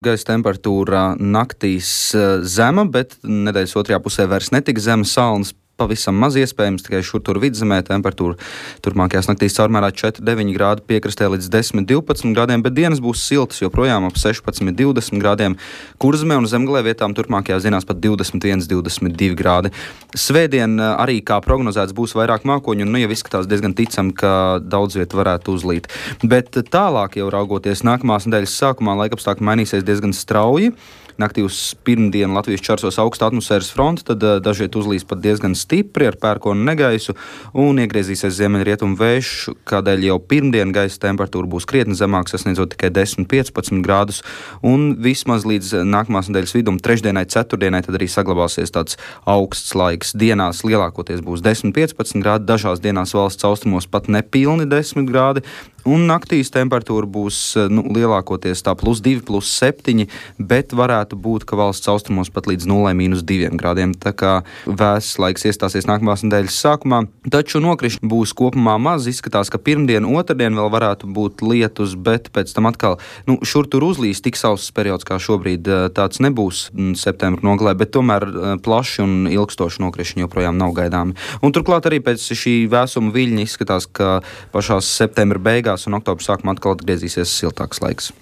Gaisa temperatūra naktīs zema, bet nedēļas otrajā pusē vairs netika zema. Salnas pavisam maz iespējams, tikai šur tur vidzemē temperatūra turpmākajās naktīs caurmērā 4-9 grādi, piekrastē līdz 10-12 grādiem, bet dienas būs siltas joprojām ap 16-20 grādiem. Kurzemē un Zemgalē vietām turpmākajās dienās pat 21-22 grādi. Svētdien arī, kā prognozēts, būs vairāk mākoņu un jau izskatās diezgan ticami, ka daudz viet varētu uzlīt. Bet tālāk jau raugoties nākamās nedēļas sākumā, laikapstākļi mainīsies diezgan strauji. Naktī uz pirmdienu Latvijas čarsos augsta atmosfēras fronte, tad dažviet uzlīs pat diezgan stipri ar pērkonu negaisu un iegriezīsies ziemeļrietumu vējš, kādēļ jau pirmdien gaisa temperatūra būs krietni zemāka, sasniedzot tikai 10-15 grādus, un vismaz līdz nākamās nedēļas vidum, trešdienai, ceturtdienai, tad arī saglabāsies tāds augsts laiks. Dienās lielākoties būs 10-15 grādi, dažās dienās valsts austrumos pat nepilni 10 grādi, un naktīs temperatūra būs lielākoties tā +2, +7, bet varētu būt, ka valsts austrumos pat līdz 0-2 grādiem. Tā kā vēss laiks iestāsies nākamās nedēļas sākumā, taču nokrišņi būs kopumā maz. Izskatās, ka pirmdien, otrdien vēl varētu būt lietus, bet pēc tam atkal šur tur uzlīs. Tik sauss periods kā šobrīd tāds nebūs septembra nogalē, bet tomēr plaši un ilgstoši nokrišņi joprojām nav gaidāmi. Un turklāt arī pēc šī vēsuma viļņa izskatās, ka pašās septembra beigās un oktobra sākumā atkal atgriezīsies siltāks laiks.